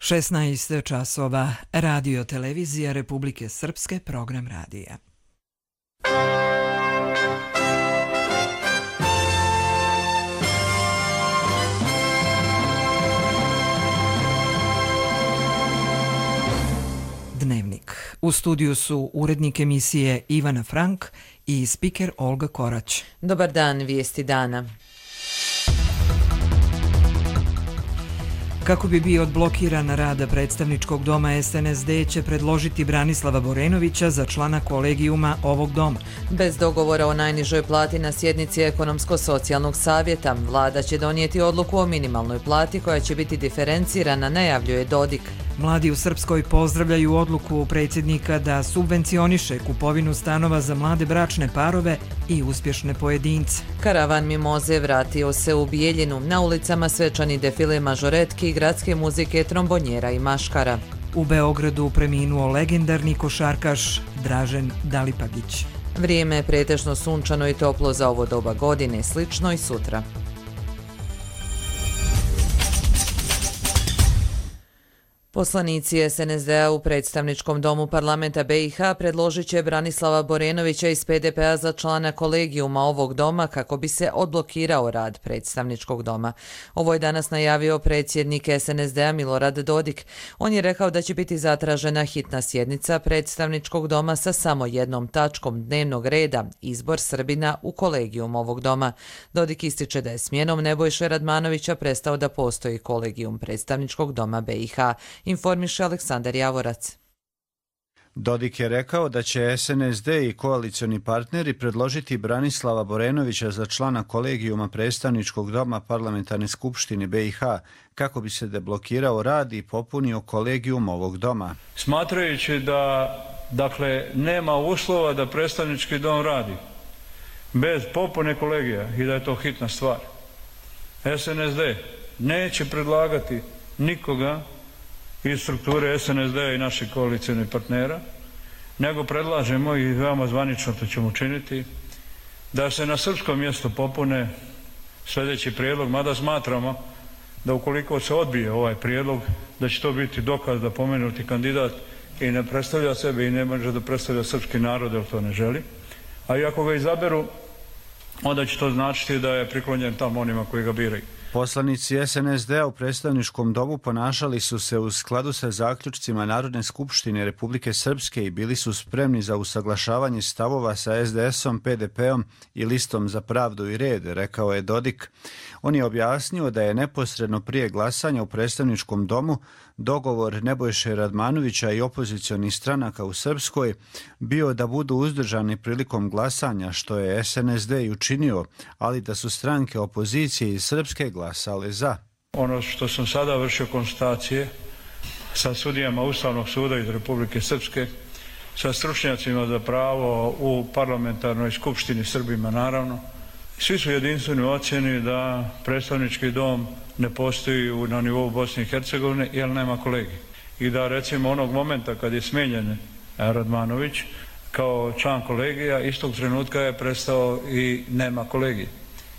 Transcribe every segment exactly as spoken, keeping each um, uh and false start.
šesnaest časova, Radio Televizija Republike Srpske, program radija. Dnevnik. U studiju su urednik emisije Ivana Frank i spiker Olga Korać. Dobar dan, vijesti dana. Kako bi bio odblokiran rad predstavničkog doma, S N S D će predložiti Branislava Borenovića za člana kolegijuma ovog doma. Bez dogovora o najnižoj plati na sjednici Ekonomsko-socijalnog savjeta, vlada će donijeti odluku o minimalnoj plati koja će biti diferencirana, najavljuje Dodik. Mladi u Srpskoj pozdravljaju odluku predsjednika da subvencioniše kupovinu stanova za mlade bračne parove i uspješne pojedince. Karavan mimoze vratio se u Bijeljinu. Na ulicama svečani defile mažoretki, gradske muzike, trombonjera i maškara. U Beogradu preminuo legendarni košarkaš Dražen Dalipagić. Vrijeme je pretežno sunčano i toplo za ovo doba godine, slično i sutra. Poslanici S N S D-a u predstavničkom domu parlamenta B i H predložit će Branislava Borenovića iz P D P-a za člana kolegijuma ovog doma kako bi se odblokirao rad predstavničkog doma. Ovo je danas najavio predsjednik S N S D-a Milorad Dodik. On je rekao da će biti zatražena hitna sjednica predstavničkog doma sa samo jednom tačkom dnevnog reda, izbor Srbina u kolegijum ovog doma. Dodik ističe da je smjenom Nebojše Radmanovića prestao da postoji kolegijum predstavničkog doma B i H. Informiše Aleksandar Javorac. Dodik je rekao da će S N S D i koalicioni partneri predložiti Branislava Borenovića za člana kolegijuma predstavničkog doma Parlamentarne skupštine B i H kako bi se deblokirao rad i popunio kolegijum ovog doma. Smatrajući da dakle nema uslova da predstavnički dom radi bez popune kolegija i da je to hitna stvar, S N S D neće predlagati nikoga iz strukture S N S D-a i naših koalicijnih partnera, nego predlažemo i veoma zvanično to ćemo učiniti, da se na srpskom mjestu popune sljedeći prijedlog, mada smatramo da ukoliko se odbije ovaj prijedlog, da će to biti dokaz da pomenuti kandidat i ne predstavlja sebe i ne može da predstavlja srpski narod, jer to ne želi. A i ako ga izaberu, onda će to značiti da je priklonjen tamo onima koji ga biraju. Poslanici S N S D-a u predstavničkom domu ponašali su se u skladu sa zaključcima Narodne skupštine Republike Srpske i bili su spremni za usaglašavanje stavova sa S D S-om, P D P-om i Listom za pravdu i red, rekao je Dodik. On je objasnio da je neposredno prije glasanja u predstavničkom domu dogovor Nebojše Radmanovića i opozicionih stranaka u Srpskoj bio da budu uzdržani prilikom glasanja, što je S N S D i učinio, ali da su stranke opozicije iz Srpske glasale za. Ono što sam sada vršio konstatacije sa sudijama Ustavnog suda iz Republike Srpske, sa stručnjacima za pravo u parlamentarnoj skupštini Srbima naravno, svi su jedinstveni u ocjeni da predstavnički dom ne postoji na nivou Bosne i Hercegovine jer nema kolegija. I da recimo onog momenta kad je smijenjen Radmanović kao član kolegija, istog trenutka je prestao i nema kolegije.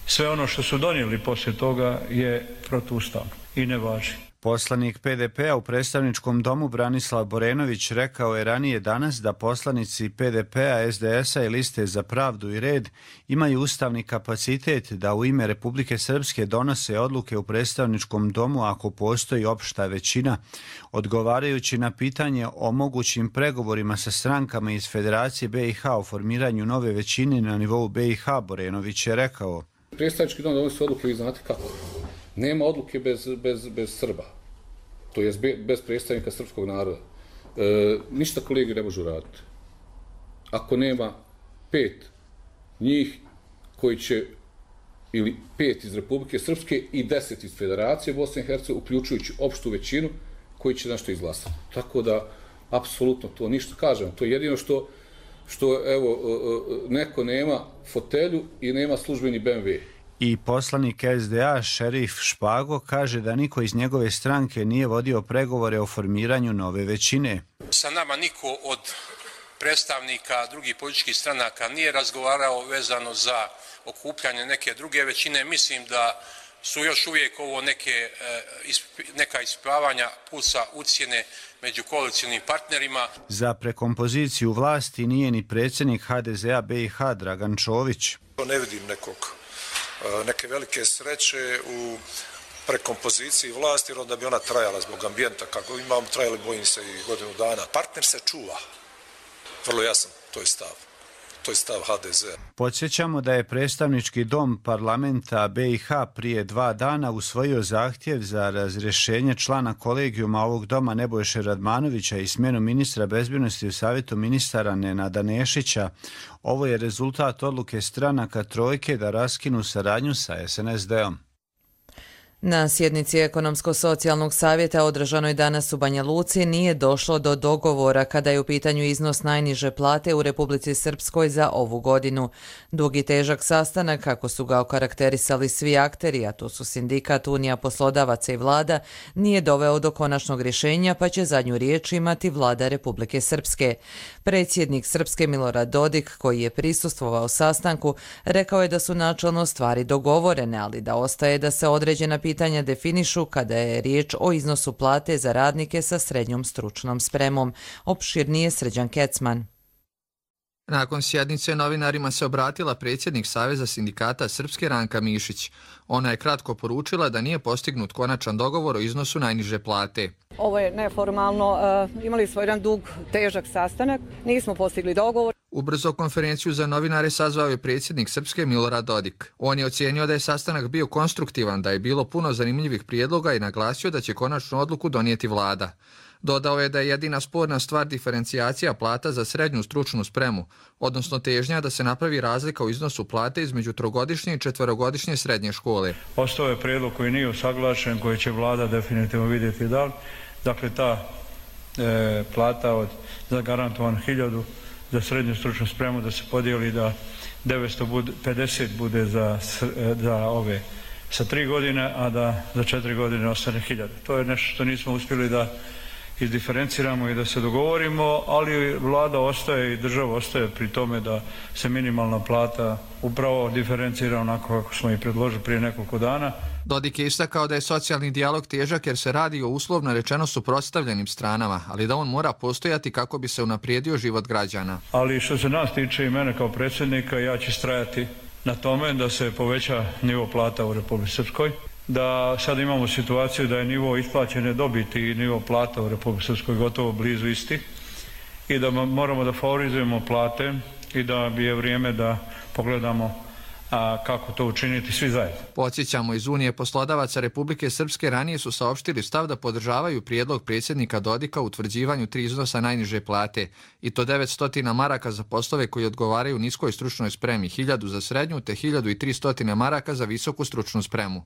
Sve ono što su donijeli poslije toga je protuustavno i ne važi. Poslanik P D P-a u predstavničkom domu Branislav Borenović rekao je ranije danas da poslanici P D P-a, S D S-a i Liste za pravdu i red imaju ustavni kapacitet da u ime Republike Srpske donose odluke u predstavničkom domu ako postoji opšta većina. Odgovarajući na pitanje o mogućim pregovorima sa strankama iz Federacije B i H o formiranju nove većine na nivou B i H, Borenović je rekao: Predstavnički dom donosi odluke, vi znate kako. Nema odluke bez, bez, bez Srba, to je bez predstavnika srpskog naroda. E, ništa kolegi ne može raditi. Ako nema pet njih koji će, ili pet iz Republike Srpske i deset iz Federacije Bosne i Hercegovine, uključujući opštu većinu, koji će nešto izglasati. Tako da, apsolutno to ništa kažem. To je jedino što, što evo, neko nema fotelju i nema službeni B M W. I poslanik S D A Šerif Špago kaže da niko iz njegove stranke nije vodio pregovore o formiranju nove većine. Sa nama niko od predstavnika drugih političkih stranaka nije razgovarao vezano za okupljanje neke druge većine. Mislim da su još uvijek ovo neke, neka ispravanja plusa ucjene među koalicijnim partnerima. Za prekompoziciju vlasti nije ni predsjednik ha de zea be i ha Dragan Čović. Ne vidim nekog, neke velike sreće u prekompoziciji vlasti, jer onda bi ona trajala zbog ambijenta. Kako imamo trajali, bojim se, i godinu dana. Partner se čuva. Vrlo jasan, to je stav. To je stav ha de zea. Podsjećamo da je predstavnički dom parlamenta be i ha prije dva dana usvojio zahtjev za razrješenje člana kolegijuma ovog doma Nebojše Radmanovića i smjenu ministra bezbjednosti u savjetu ministara Nenada Nešića. Ovo je rezultat odluke stranaka trojke da raskinu saradnju sa es en es de om. Na sjednici Ekonomsko-socijalnog savjeta održanoj danas u Banja Luci nije došlo do dogovora kada je u pitanju iznos najniže plate u Republici Srpskoj za ovu godinu. Dug i težak sastanak, kako su ga okarakterisali svi akteri, a to su sindikat, Unija poslodavaca i vlada, nije doveo do konačnog rješenja, pa će zadnju riječ imati vlada Republike Srpske. Predsjednik Srpske Milorad Dodik, koji je prisustvovao sastanku, rekao je da su načelno stvari dogovorene, ali da ostaje da se određena pitanja definišu kada je riječ o iznosu plate za radnike sa srednjom stručnom spremom. Opširnije Srđan Kecman. Nakon sjednice novinarima se obratila predsjednik Saveza sindikata Srpske Ranka Mišić. Ona je kratko poručila da nije postignut konačan dogovor o iznosu najniže plate. Ovo je neformalno. Imali smo jedan dug, težak sastanak. Nismo postigli dogovor. Ubrzo konferenciju za novinare sazvao je predsjednik Srpske Milorad Dodik. On je ocijenio da je sastanak bio konstruktivan, da je bilo puno zanimljivih prijedloga i naglasio da će konačnu odluku donijeti vlada. Dodao je da je jedina sporna stvar diferencijacija plata za srednju stručnu spremu, odnosno težnja da se napravi razlika u iznosu plate između trogodišnje i četverogodišnje srednje škole. Ostao je prijedlog koji nije usaglašen, koji će vlada definitivno vidjeti da li. Dakle, ta e, plata od zagarantovan hiljadu za srednju stručnu spremu da se podijeli da devetsto pedeset bude za, za ove sa tri godine, a da za četiri godine ostane hiljada. To je nešto što nismo uspjeli da izdiferenciramo i da se dogovorimo, ali vlada ostaje i država ostaje pri tome da se minimalna plata upravo diferencira onako kako smo i predložili prije nekoliko dana. Dodik je istakao da je socijalni dijalog težak jer se radi o uslovno rečeno suprotstavljenim stranama, ali da on mora postojati kako bi se unaprijedio život građana. Ali što se nas tiče i mene kao predsjednika, ja ću strajati na tome da se poveća nivo plata u Republici Srpskoj, da sad imamo situaciju da je nivo isplaćene dobiti i nivo plata u Republici Srpskoj gotovo blizu isti i da moramo da favorizujemo plate i da bi je vrijeme da pogledamo a kako to učiniti svi zajedno. Podsjećamo, iz Unije poslodavaca Republike Srpske ranije su saopštili stav da podržavaju prijedlog predsjednika Dodika u utvrđivanju tri iznosa najniže plate, i to devetsto maraka za poslove koji odgovaraju niskoj stručnoj spremi, hiljadu za srednju te hiljadu tristo maraka za visoku stručnu spremu.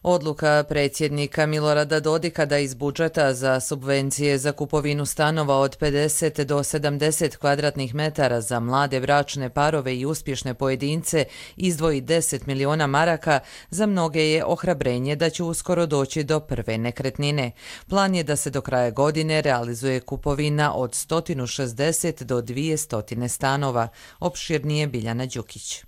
Odluka predsjednika Milorada Dodika da iz budžeta za subvencije za kupovinu stanova od pedeset do sedamdeset kvadratnih metara za mlade bračne parove i uspješne pojedince izdvoji deset miliona maraka, za mnoge je ohrabrenje da će uskoro doći do prve nekretnine. Plan je da se do kraja godine realizuje kupovina od sto šezdeset do dvjesto stanova. Opširnije Biljana Đukić.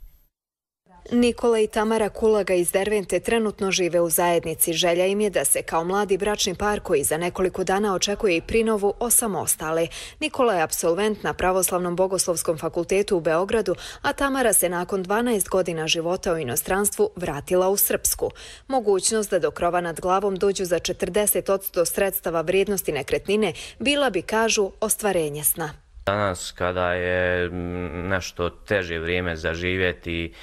Nikola i Tamara Kulaga iz Dervente trenutno žive u zajednici. Želja im je da se kao mladi bračni par koji za nekoliko dana očekuje i prinovu osamostale. Nikola je apsolvent na Pravoslavnom bogoslovskom fakultetu u Beogradu, a Tamara se nakon dvanaest godina života u inostranstvu vratila u Srpsku. Mogućnost da do krova nad glavom dođu za četrdeset posto sredstava vrijednosti nekretnine bila bi, kažu, ostvarenje sna. Danas kada je nešto teže vrijeme za živjeti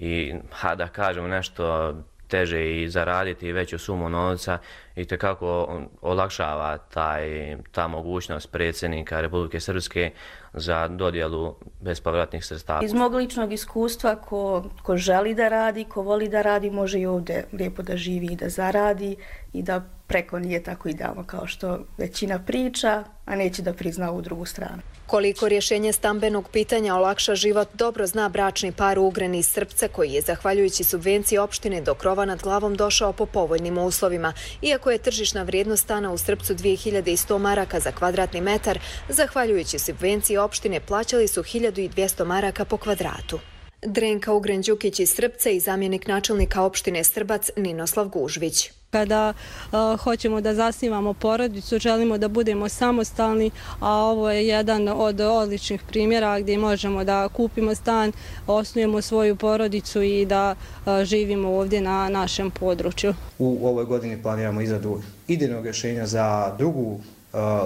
i ha, da kažemo nešto teže i zaraditi veću sumu novca, i tekako olakšava taj, ta mogućnost predsjednika Republike Srpske za dodjelu bespovratnih sredstava. Iz mog ličnog iskustva, ko, ko želi da radi, ko voli da radi, može i ovdje lijepo da živi i da zaradi i da preko nije tako idealno kao što većina priča, a neće da prizna ovu drugu stranu. Koliko rješenje stambenog pitanja olakša život dobro zna bračni par u Ugreni iz Srpca, koji je zahvaljujući subvenciji opštine do krova nad glavom došao po povoljnim uslovima. Iako je tržišna vrijednost stana u Srpcu dvije hiljade sto maraka za kvadratni metar, zahvaljujući subvenciji opštine plaćali su hiljadu dvjesto maraka po kvadratu. Drenka Ugren-Đukić iz Srbca i zamjenik načelnika opštine Strbac Ninoslav Gužvić. Kada uh, hoćemo da zasnivamo porodicu, želimo da budemo samostalni, a ovo je jedan od odličnih primjera gdje možemo da kupimo stan, osnujemo svoju porodicu i da uh, živimo ovdje na našem području. U ovoj godini planiramo izradu idejnog rješenja za drugu uh,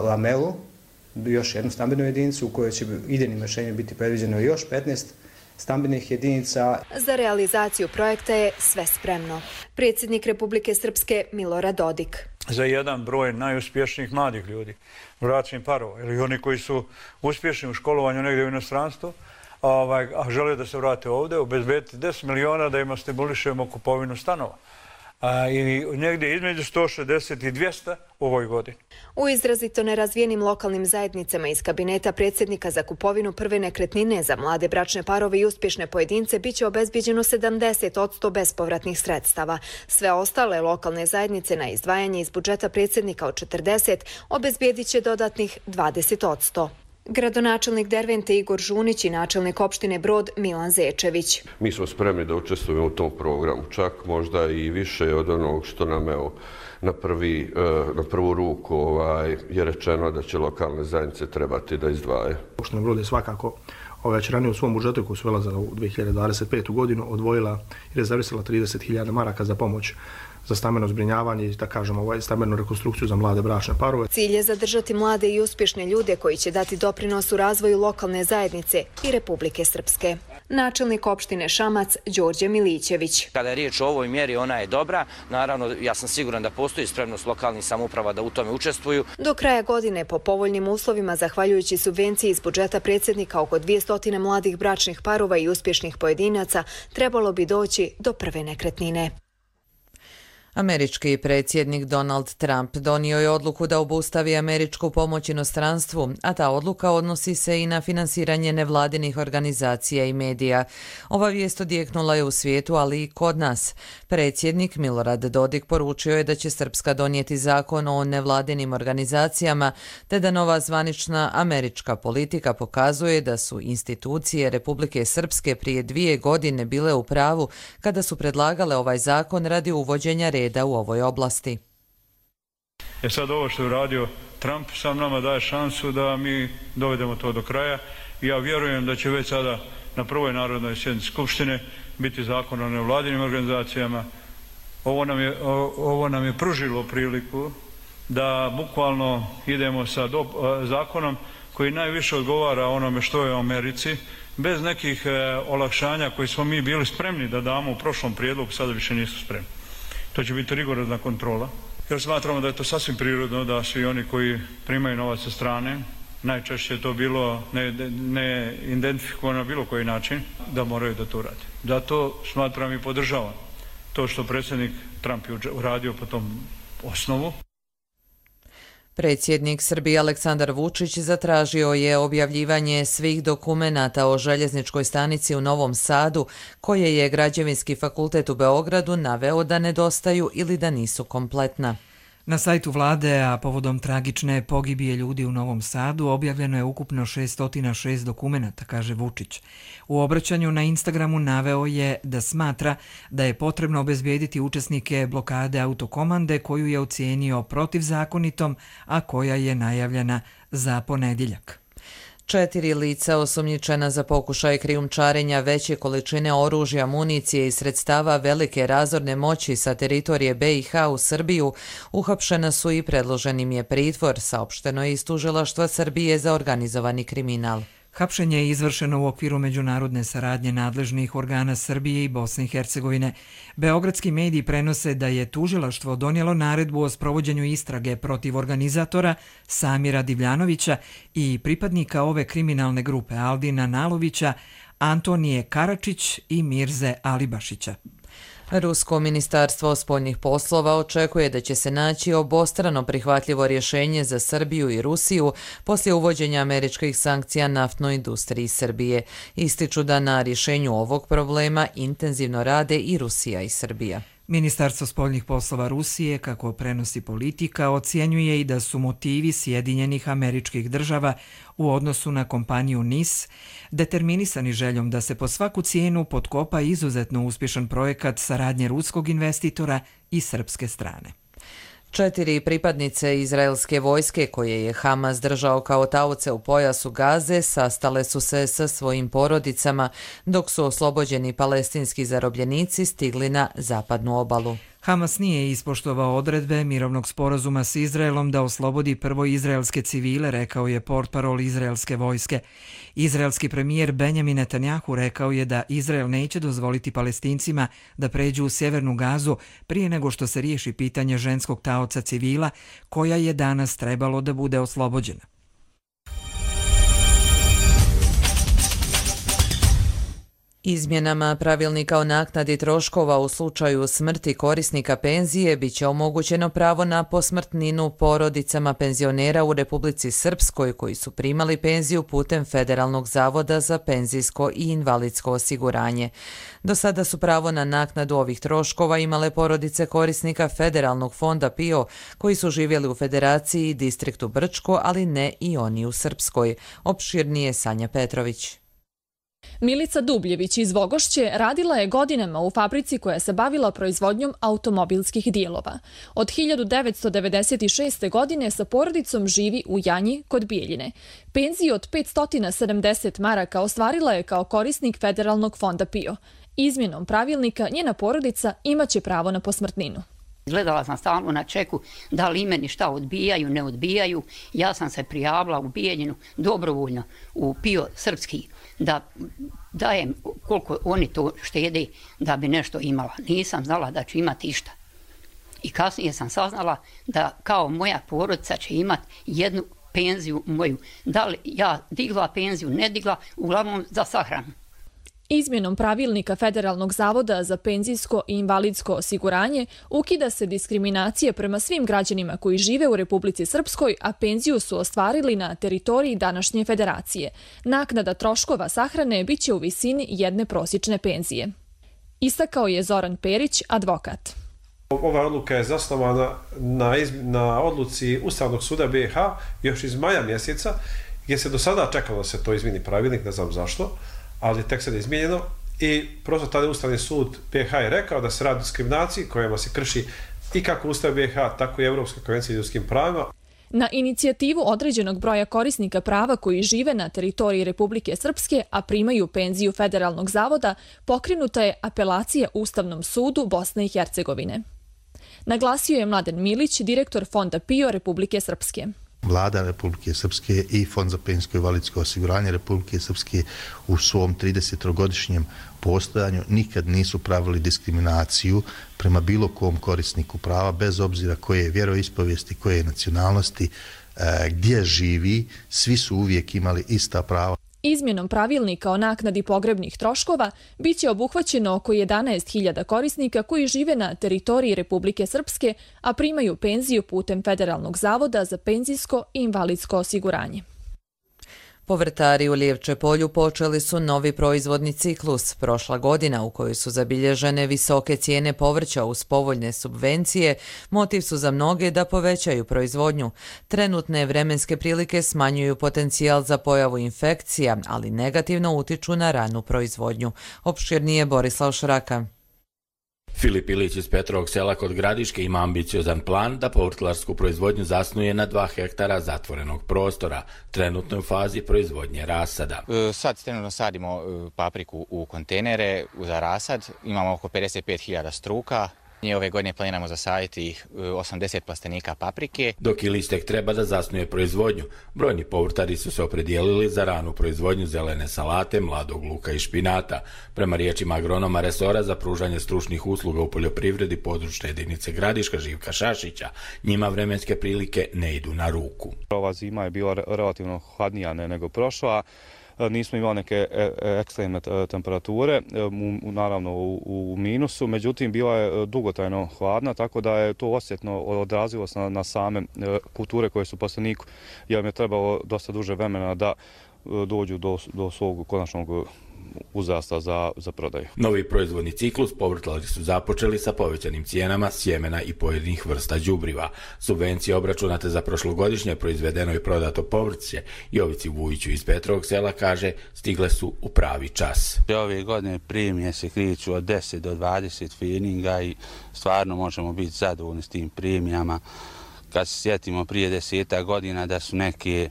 lamelu, još jednu stambenu jedinicu u kojoj će idejnim rješenjem biti predviđeno još petnaest stambenih jedinica. Za realizaciju projekta je sve spremno. Predsjednik Republike Srpske Milorad Dodik. Za jedan broj najuspješnijih mladih ljudi, bračnih parova ili oni koji su uspješni u školovanju negdje u inostranstvu, ovaj, a žele da se vrate ovdje, obezbediti deset miliona da im stimulišemo kupovinu stanova. A, i negdje između sto šezdeset i dvjesto u ovoj godini. U izrazito nerazvijenim lokalnim zajednicama iz kabineta predsjednika za kupovinu prve nekretnine za mlade bračne parove i uspješne pojedince biće obezbijeđeno sedamdeset posto bespovratnih sredstava. Sve ostale lokalne zajednice na izdvajanje iz budžeta predsjednika od četrdeset obezbijedit će dodatnih dvadeset posto. Gradonačelnik Dervente Igor Žunić i načelnik opštine Brod Milan Zečević. Mi smo spremni da učestvujemo u tom programu, čak možda i više od onog što nam evo, na, prvi, na prvu ruku ovaj, je rečeno da će lokalne zajednice trebati da izdvaje. Opština Brod je svakako već ranije u svom budžetu koji su vela za dvije hiljade dvadeset petu godinu odvojila i rezervisala trideset hiljada maraka za pomoć za stambeno zbrinjavanje i da kažemo ovaj stambenu rekonstrukciju za mlade bračne parove. Cilj je zadržati mlade i uspješne ljude koji će dati doprinos u razvoju lokalne zajednice i Republike Srpske. Načelnik opštine Šamac Đorđe Milićević. Kada je riječ o ovoj mjeri, ona je dobra. Naravno, ja sam siguran da postoji spremnost lokalnih samouprava da u tome učestvuju. Do kraja godine, po povoljnim uslovima, zahvaljujući subvenciji iz budžeta predsjednika oko dvjesto mladih bračnih parova i uspješnih pojedinaca, trebalo bi doći do prve nekretnine. Američki predsjednik Donald Trump donio je odluku da obustavi američku pomoć inostranstvu, a ta odluka odnosi se i na finansiranje nevladinih organizacija i medija. Ova vijest odjeknula je u svijetu, ali i kod nas. Predsjednik Milorad Dodik poručio je da će Srpska donijeti zakon o nevladinim organizacijama, te da nova zvanična američka politika pokazuje da su institucije Republike Srpske prije dvije godine bile u pravu kada su predlagale ovaj zakon radi uvođenja reda u ovoj oblasti. E sad ovo što je uradio Trump sam nama daje šansu da mi dovedemo to do kraja i ja vjerujem da će već sada na prvoj narodnoj sjednici Skupštine biti zakon o nevladinim organizacijama. Ovo nam je, ovo nam je pružilo priliku da bukvalno idemo sa do, zakonom koji najviše odgovara onome što je u Americi, bez nekih e, olakšanja koji smo mi bili spremni da damo u prošlom prijedlogu, sada više nisu spremni. To će biti rigorozna kontrola, jer smatramo da je to sasvim prirodno da svi oni koji primaju novac sa strane, najčešće je to bilo ne, ne identifikovano na bilo koji način, da moraju da to urade. Zato smatram i podržavam to što predsjednik Trump je uradio po tom osnovu. Predsjednik Srbije Aleksandar Vučić zatražio je objavljivanje svih dokumenata o željezničkoj stanici u Novom Sadu, koje je Građevinski fakultet u Beogradu naveo da nedostaju ili da nisu kompletna. Na sajtu vlade, a povodom tragične pogibije ljudi u Novom Sadu, objavljeno je ukupno šessto šest dokumenata, kaže Vučić. U obraćanju na Instagramu naveo je da smatra da je potrebno obezbijediti učesnike blokade autokomande koju je ocijenio protivzakonitom, a koja je najavljena za ponedjeljak. Četiri lica osumnjičena za pokušaj krijumčarenja veće količine oružja, municije i sredstava velike razorne moći sa teritorije B i H u Srbiju uhapšena su i predložen im je pritvor, saopšteno je iz Tužilaštva Srbije za organizovani kriminal. Hapšenje je izvršeno u okviru međunarodne saradnje nadležnih organa Srbije i Bosne i Hercegovine. Beogradski mediji prenose da je tužilaštvo donijelo naredbu o sprovođenju istrage protiv organizatora Samira Divljanovića i pripadnika ove kriminalne grupe Aldina Nalovića, Antonije Karačić i Mirze Alibašića. Rusko ministarstvo spoljnih poslova očekuje da će se naći obostrano prihvatljivo rješenje za Srbiju i Rusiju poslije uvođenja američkih sankcija naftnoj industriji Srbije. Ističu da na rješenju ovog problema intenzivno rade i Rusija i Srbija. Ministarstvo spoljnih poslova Rusije, kako prenosi Politika, ocjenjuje i da su motivi Sjedinjenih Američkih Država u odnosu na kompaniju N I S determinisani željom da se po svaku cijenu potkopa izuzetno uspješan projekat saradnje ruskog investitora i srpske strane. Četiri pripadnice izraelske vojske koje je Hamas držao kao taoce u pojasu Gaze sastale su se sa svojim porodicama dok su oslobođeni palestinski zarobljenici stigli na zapadnu obalu. Hamas nije ispoštovao odredbe mirovnog sporazuma s Izraelom da oslobodi prvo izraelske civile, rekao je portparol izraelske vojske. Izraelski premijer Benjamin Netanjahu rekao je da Izrael neće dozvoliti Palestincima da pređu u sjevernu Gazu prije nego što se riješi pitanje ženskog taoca civila, koja je danas trebalo da bude oslobođena. Izmjenama pravilnika o naknadi troškova u slučaju smrti korisnika penzije biće omogućeno pravo na posmrtninu porodicama penzionera u Republici Srpskoj koji su primali penziju putem Federalnog zavoda za penzijsko i invalidsko osiguranje. Do sada su pravo na naknadu ovih troškova imale porodice korisnika Federalnog fonda P I O koji su živjeli u Federaciji i distriktu Brčko, ali ne i oni u Srpskoj. Opširnije Sanja Petrović. Milica Dubljević iz Vogošće radila je godinama u fabrici koja se bavila proizvodnjom automobilskih dijelova. Od hiljadu devetsto devedeset šeste. godine sa porodicom živi u Janji kod Bijeljine. Penziju od petsto sedamdeset maraka ostvarila je kao korisnik Federalnog fonda P I O. Izmjenom pravilnika njena porodica imaće pravo na posmrtninu. Gledala sam stalno na čeku da li meni šta odbijaju, ne odbijaju. Ja sam se prijavila u Bijeljinu dobrovoljno u P I O srpski da dajem koliko oni to štede da bi nešto imala. Nisam znala da ću imati išta. I kasnije sam saznala da kao moja porodica će imati jednu penziju moju. Da li ja digla penziju, ne digla, uglavnom za sahranu. Izmjenom pravilnika Federalnog zavoda za penzijsko i invalidsko osiguranje ukida se diskriminacija prema svim građanima koji žive u Republici Srpskoj, a penziju su ostvarili na teritoriji današnje federacije. Naknada troškova sahrane biće u visini jedne prosječne penzije. Istakao je Zoran Perić, advokat. Ova odluka je zasnovana na, na odluci Ustavnog suda B i H još iz maja mjeseca, gdje se do sada čekalo da se to izmijeni pravilnik, ne znam zašto, ali tek sad je izmijenjeno i prosto tada Ustavni sud B i H je rekao da se radi o diskriminaciji kojima se krši i kako Ustav B i H, tako i Evropska konvencija o ljudskim pravima. Na inicijativu određenog broja korisnika prava koji žive na teritoriji Republike Srpske, a primaju penziju Federalnog zavoda, pokrenuta je apelacija Ustavnom sudu Bosne i Hercegovine. Naglasio je Mladen Milić, direktor Fonda P I O Republike Srpske. Vlada Republike Srpske i Fond za penzijsko i invalidsko osiguranje Republike Srpske u svom tridesetogodišnjem postojanju nikad nisu pravili diskriminaciju prema bilo kom korisniku prava, bez obzira koje je vjeroispovijesti, koje je nacionalnosti, gdje živi, svi su uvijek imali ista prava. Izmjenom pravilnika o naknadi pogrebnih troškova biće obuhvaćeno oko jedanaest hiljada korisnika koji žive na teritoriji Republike Srpske, a primaju penziju putem Federalnog zavoda za penzijsko i invalidsko osiguranje. Povrtari u Lijevče polju počeli su novi proizvodni ciklus. Prošla godina u kojoj su zabilježene visoke cijene povrća uz povoljne subvencije, motiv su za mnoge da povećaju proizvodnju. Trenutne vremenske prilike smanjuju potencijal za pojavu infekcija, ali negativno utiču na ranu proizvodnju. Opširnije Borislav Šraka. Filip Ilić iz Petrovog sela kod Gradiške ima ambiciozan plan da povrtlarsku proizvodnju zasnuje na dva hektara zatvorenog prostora, trenutno u fazi proizvodnje rasada. Sad trenutno sadimo papriku u kontejnere za rasad, imamo oko pedeset pet hiljada struka. Ove godine planiramo zasaditi osamdeset plastenika paprike. Dok Ilić tek treba da zasnuje proizvodnju, brojni povrtari su se opredijelili za ranu proizvodnju zelene salate, mladog luka i špinata. Prema riječima agronoma resora za pružanje stručnih usluga u poljoprivredi područne jedinice Gradiška Živka Šašića, njima vremenske prilike ne idu na ruku. Ova zima je bila relativno hladnija nego prošla. Nismo imali neke ekstremne temperature, naravno u minusu, međutim bila je dugotrajno hladna, tako da je to osjetno odrazilo se na same kulture koje su plasteniku, jer im je trebalo dosta duže vremena da dođu do, do svog konačnog uzrasta za, za prodaju. Novi proizvodni ciklus povrtlari su započeli sa povećanim cijenama sjemena i pojedinih vrsta đubriva. Subvencije obračunate za prošlogodišnje proizvedeno i prodato povrće Jovici Vujiću iz Petrovog Sela kaže stigle su u pravi čas. Ove godine premije se kreću od deset do dvadeset feninga i stvarno možemo biti zadovoljni s tim premijama. Kad se sjetimo prije deseta godina da su neke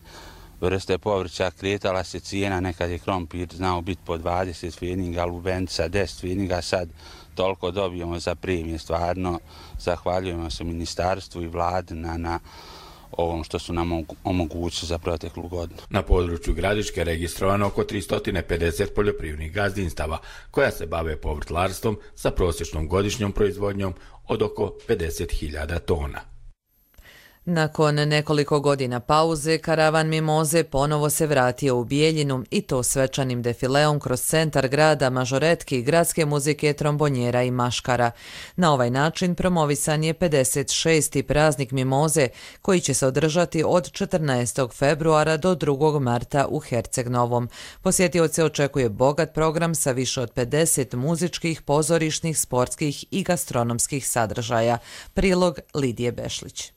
vrste povrća kretala se cijena, nekad je krompir znao biti po dvadeset feninga, lubenica deset feninga, sad toliko dobijemo za premije. Stvarno zahvaljujemo se ministarstvu i vladi na, na ovom što su nam omogućili za proteklu godinu. Na području Gradiške registrovano oko tristo pedeset poljoprivrednih gazdinstava koja se bave povrtlarstvom sa prosječnom godišnjom proizvodnjom od oko pedeset hiljada tona. Nakon nekoliko godina pauze, karavan Mimoze ponovo se vratio u Bijeljinu i to svečanim defileom kroz centar grada, mažoretki, gradske muzike, trombonjera i maškara. Na ovaj način promovisan je pedeset šesti praznik Mimoze koji će se održati od četrnaestog februara do drugog marta u Herceg Novom. Posjetioce očekuje bogat program sa više od pedeset muzičkih, pozorišnih, sportskih i gastronomskih sadržaja. Prilog Lidije Bešlić.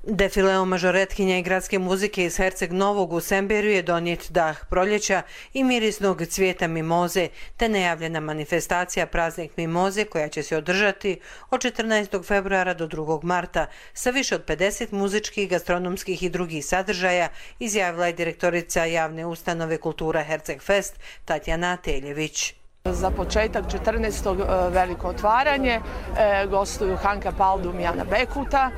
Defileom mažoretkinja i gradske muzike iz Herceg Novog u Semberiju je donijet dah proljeća i mirisnog cvijeta mimoze, te najavljena manifestacija Praznik Mimoze koja će se održati od četrnaestog februara do drugog marta sa više od pedeset muzičkih, gastronomskih i drugih sadržaja, izjavila je direktorica javne ustanove Kultura Herceg Fest Tatjana Teljević. Za početak četrnaestog veliko otvaranje, gostuju Hanka Paldum i Ana Bekuta.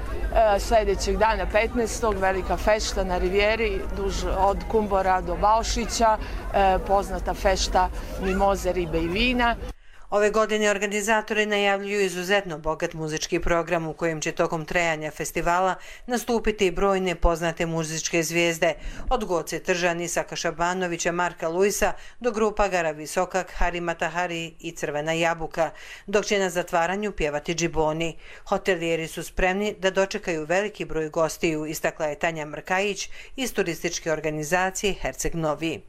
Sljedećeg dana petnaestog velika fešta na Rivijeri, duž od Kumbora do Baušića, poznata fešta Mimoze, ribe i vina. Ove godine organizatori najavljuju izuzetno bogat muzički program u kojem će tokom trajanja festivala nastupiti brojne poznate muzičke zvijezde, od Goce Tržan, Isaka Šabanovića, Marka Luisa do grupa Gara Visokak, Harima Tahari i Crvena jabuka, dok će na zatvaranju pjevati džiboni. Hotelijeri su spremni da dočekaju veliki broj gostiju, istakla je Tanja Mrkajić iz turističke organizacije Herceg Novi.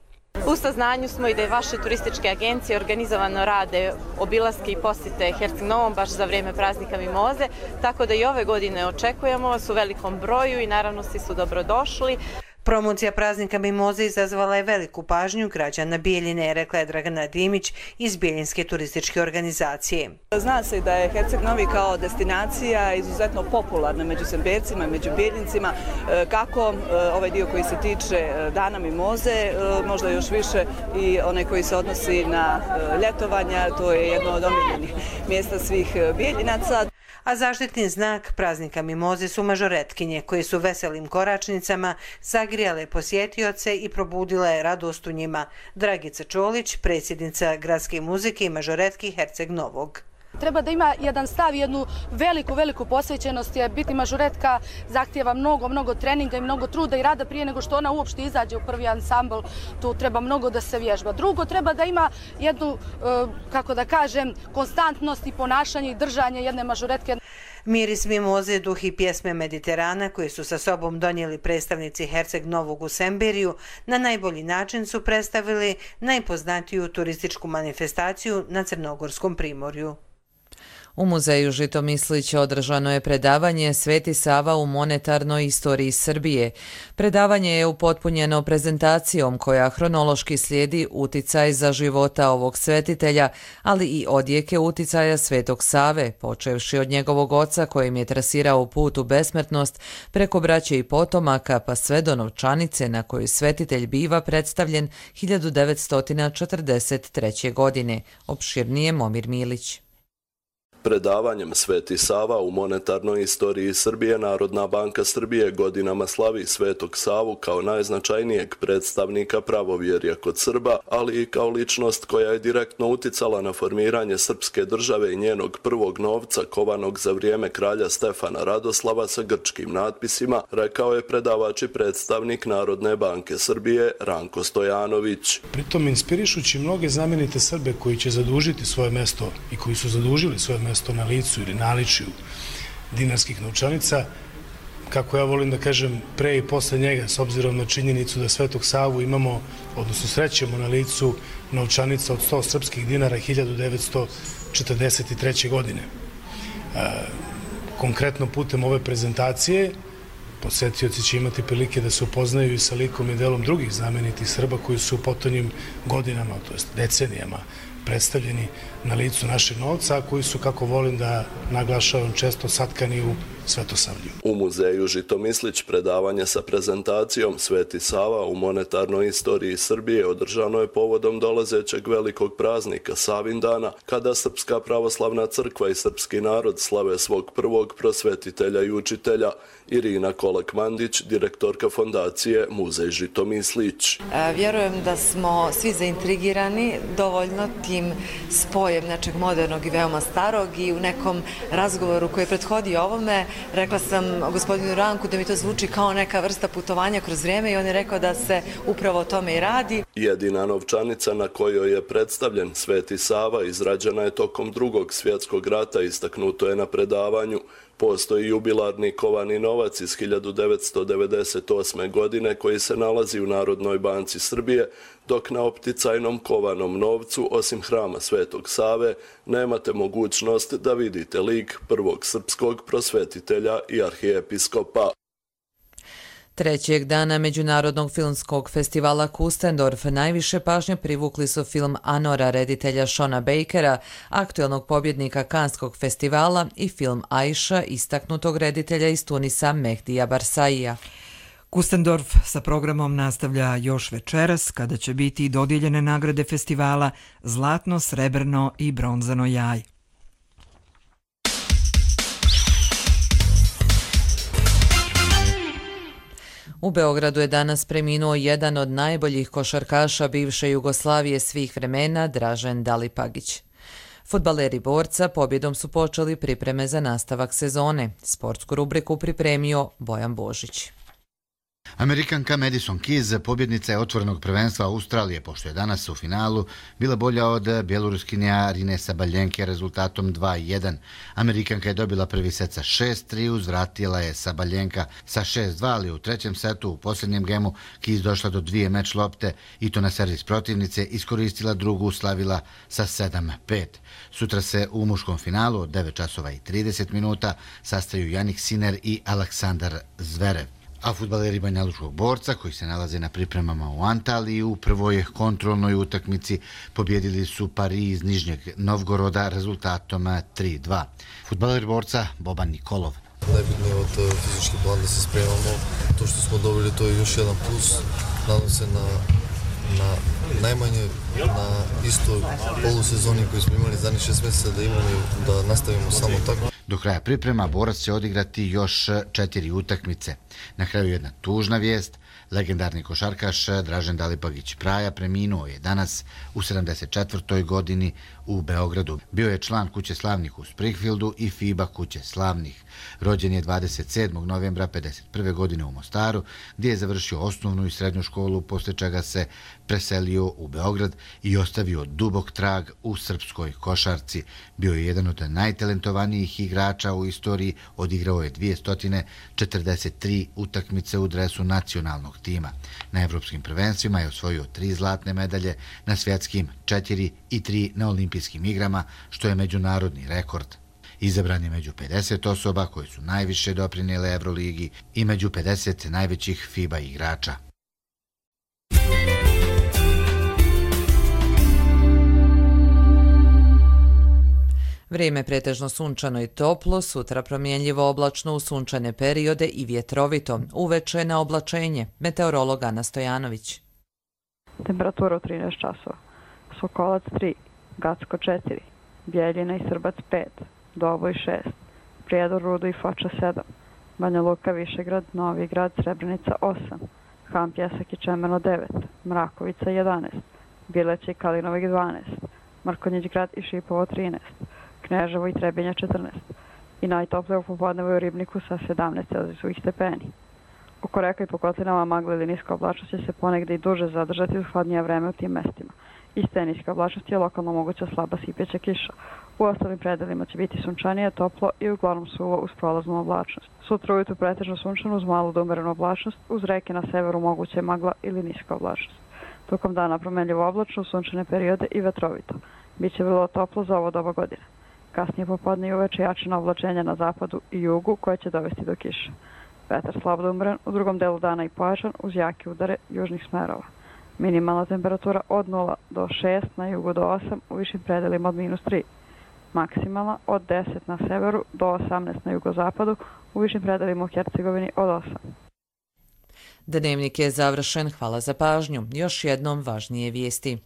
U saznanju smo i da je vaše turističke agencije organizovano rade obilaske i posjete Herceg Novom baš za vrijeme praznika Mimoze, tako da i ove godine očekujemo vas u velikom broju i naravno svi su dobrodošli. Promocija praznika Mimoze izazvala je veliku pažnju građana Bijeljine, rekla je Dragana Dimić iz Bijeljinske turističke organizacije. Zna se da je Herceg Novi kao destinacija izuzetno popularna među Sembercima i među Bijeljincima, kako ovaj dio koji se tiče Dana Mimoze, možda još više i onaj koji se odnosi na ljetovanja, to je jedno od omiljenih mjesta svih Bijeljinaca. A zaštitni znak praznika Mimoze su mažoretkinje koje su veselim koračnicama zagrijale posjetioce i probudile radost u njima. Dragica Čolić, predsjednica gradske muzike i mažoretki Herceg Novog. Treba da ima jedan stav, jednu veliku, veliku posvećenost, jer biti mažoretka zahtijeva mnogo, mnogo treninga i mnogo truda i rada prije nego što ona uopšte izađe u prvi ansambl. Tu treba mnogo da se vježba. Drugo, treba da ima jednu, kako da kažem, konstantnost i ponašanje i držanje jedne mažoretke. Miris Mimoze, duh i pjesme Mediterana koje su sa sobom donijeli predstavnici Herceg Novog u Semberiju, na najbolji način su predstavili najpoznatiju turističku manifestaciju na Crnogorskom primorju. U muzeju Žitomislić održano je predavanje Sveti Sava u monetarnoj istoriji Srbije. Predavanje je upotpunjeno prezentacijom koja hronološki slijedi uticaj za života ovog svetitelja, ali i odjeke uticaja Svetog Save, počevši od njegovog oca kojim je trasirao put u besmrtnost, preko braće i potomaka pa sve do novčanice na koju svetitelj biva predstavljen hiljadu devetsto četrdeset treće. godine. Opširnije Momir Milić. Predavanjem Sveti Sava u monetarnoj istoriji Srbije Narodna banka Srbije godinama slavi Svetog Savu kao najznačajnijeg predstavnika pravovjerja kod Srba, ali i kao ličnost koja je direktno uticala na formiranje srpske države i njenog prvog novca kovanog za vrijeme kralja Stefana Radoslava sa grčkim natpisima, rekao je predavač i predstavnik Narodne banke Srbije Ranko Stojanović. Pritom inspirišući mnoge znamenite Srbe koji će zadužiti svoje mesto i koji su zadužili svoje mesto na licu ili naličju dinarskih novčanica, kako ja volim da kažem, pre i posle njega, s obzirom na činjenicu da Svetog Savu imamo, odnosno srećemo na licu novčanica od sto srpskih dinara hiljadu devetsto četrdeset treće. godine. Konkretno putem ove prezentacije posetioci će imati prilike da se upoznaju i sa likom i delom drugih znamenitih Srba koji su u potonjim godinama, to jest decenijama, predstavljeni na licu našeg novca, a koji su, kako volim da naglašavam, često satkani u Svetosavlju. U muzeju Žitomislić predavanje sa prezentacijom Sveti Sava u monetarnoj istoriji Srbije održano je povodom dolazećeg velikog praznika Savindana, kada Srpska pravoslavna crkva i srpski narod slave svog prvog prosvetitelja i učitelja. Irina Kolak-Mandić, direktorka fondacije Muzej Žitomislić. Vjerujem da smo svi zaintrigirani dovoljno tim spojem nečeg modernog i veoma starog i u nekom razgovoru koji je prethodio ovome rekla sam gospodinu Ranku da mi to zvuči kao neka vrsta putovanja kroz vrijeme i on je rekao da se upravo o tome i radi. Jedina novčanica na kojoj je predstavljen Sveti Sava izrađena je tokom Drugog svjetskog rata, istaknuto je na predavanju. Postoji jubilarni kovani novac iz hiljadu devetsto devedeset osme. godine koji se nalazi u Narodnoj banci Srbije, dok na opticajnom kovanom novcu, osim hrama Svetog Save, nemate mogućnost da vidite lik prvog srpskog prosvetitelja i arhijepiskopa. Trećeg dana Međunarodnog filmskog festivala Kustendorf najviše pažnje privukli su film Anora reditelja Shona Bakera, aktuelnog pobjednika Kanskog festivala, i film Aisha istaknutog reditelja iz Tunisa Mehdija Barsaija. Kustendorf sa programom nastavlja još večeras, kada će biti dodijeljene nagrade festivala Zlatno, srebrno i bronzano jaj. U Beogradu je danas preminuo jedan od najboljih košarkaša bivše Jugoslavije svih vremena, Dražen Dalipagić. Fudbaleri Borca pobjedom su počeli pripreme za nastavak sezone. Sportsku rubriku pripremio Bojan Božić. Amerikanka Madison Keys, pobjednica je otvorenog prvenstva Australije, pošto je danas u finalu bila bolja od bjeloruskinja Arine Sabaljenke rezultatom dva jedan. Amerikanka je dobila prvi set sa šest tri, uzvratila je Sabaljenka sa šest dva, ali u trećem setu u posljednjem gemu Keys došla do dvije meč lopte i to na servis protivnice, iskoristila drugu, slavila sa sedam pet. Sutra se u muškom finalu od devet časova i trideset minuta sastaju Jannik Sinner i Aleksandar Zverev. A fudbaleri Banjalučkog Borca, koji se nalaze na pripremama u Antaliji, u prvoj kontrolnoj utakmici pobjedili su Pari iz Nižnjeg Novgoroda rezultatom tri dva. Fudbaler Borca Boban Nikolov. Najbitnije od fizički plan da se spremamo. To što smo dobili, to je još jedan plus. Nadam se na, na najmanje na istoj polusezoni koju smo imali zadnjih šest mjeseca da imamo da nastavimo samo tako. Do kraja priprema Borac će odigrati još četiri utakmice. Na kraju jedna tužna vijest. Legendarni košarkaš Dražen Dalipagić Praja preminuo je danas u sedamdeset četvrtoj godini u Beogradu. Bio je član Kuće slavnih u Springfieldu i FIBA Kuće slavnih. Rođen je dvadeset sedmog novembra pedeset prve. godine u Mostaru, gdje je završio osnovnu i srednju školu, poslije čega se preselio u Beograd i ostavio dubok trag u srpskoj košarci. Bio je jedan od najtalentovanijih igrača u istoriji, odigrao je dvjesto četrdeset tri utakmice u dresu nacionalnog tima. Na evropskim prvenstvima je osvojio tri zlatne medalje, na svjetskim četiri i tri na olimpijskim igrama, što je međunarodni rekord. Izabran je među pedeset osoba koje su najviše doprinijele Evroligi i među pedeset najvećih FIBA igrača. Vrijeme pretežno sunčano i toplo, sutra promjenljivo oblačno u sunčane periode i vjetrovito, uveče na oblačenje. Meteorolog Ana Stojanović. Temperatura u trinaest časova. Sokolac tri, Gacko četiri, Bjeljina i Srbac pet, Doboj šest, Prijedor, Rudo i Foča sedam, Banja Luka, Višegrad, Novi Grad, Srebrenica osam, Han, Pjesak i Čemerno devet, Mrakovica jedanaest, Bileće i Kalinovik dvanaest, Mrkonjić grad i Šipovo trinaest, Kneževo i Trebinja četrnaest i najtoplije u popodnevu u Ribniku sa sedamnaest celzijusovih stepeni. Oko reka i po kotlinama magla ili niska oblačnost će se ponegde i duže zadržati uz hladnije vreme u tim mestima. Iz te niske oblačnosti je lokalno moguća slaba sipeća kiša. U ostalim predelima će biti sunčanije, toplo i uglavnom suvo uz prolaznu oblačnost. Sutra ujutru pretežno sunčano uz malu do umerenu oblačnost, uz reke na severu moguće magla ili niska oblačnost. Tokom dana promenljivo oblačno, sunčane periode i vetrovito. Biće vrlo toplo za ovo doba godine. Kasnije popodne i uveče jačina oblačenja na zapadu i jugu koje će dovesti do kiše. Vetar slabo da umeren, u drugom delu dana i pojačan uz jake udare južnih smerova. Minimalna temperatura od nula do šest, na jugu do osam, u višim predelima od minus tri. Maksimalna od deset na severu do osamnaest na jugozapadu, u višim predelima u Hercegovini od osam. Dnevnik je završen, hvala za pažnju. Još jednom važnije vijesti.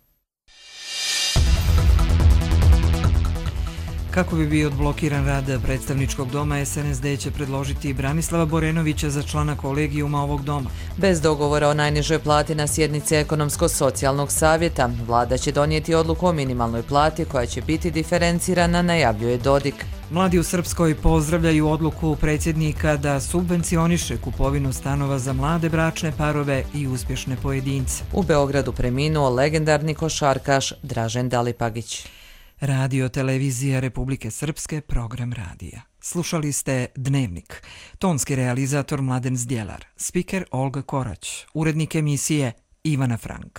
Kako bi bio odblokiran rad predstavničkog doma, S N S D će predložiti Branislava Borenovića za člana kolegijuma ovog doma. Bez dogovora o najnižoj plati na sjednici Ekonomsko-socijalnog savjeta, vlada će donijeti odluku o minimalnoj plati koja će biti diferencirana, najavljuje Dodik. Mladi u Srpskoj pozdravljaju odluku predsjednika da subvencioniše kupovinu stanova za mlade bračne parove i uspješne pojedince. U Beogradu preminuo legendarni košarkaš Dražen Dalipagić. Radio Televizija Republike Srpske, program radija. Slušali ste Dnevnik. Tonski realizator Mladen Zdjelar, spiker Olga Korać, urednik emisije Ivana Frank.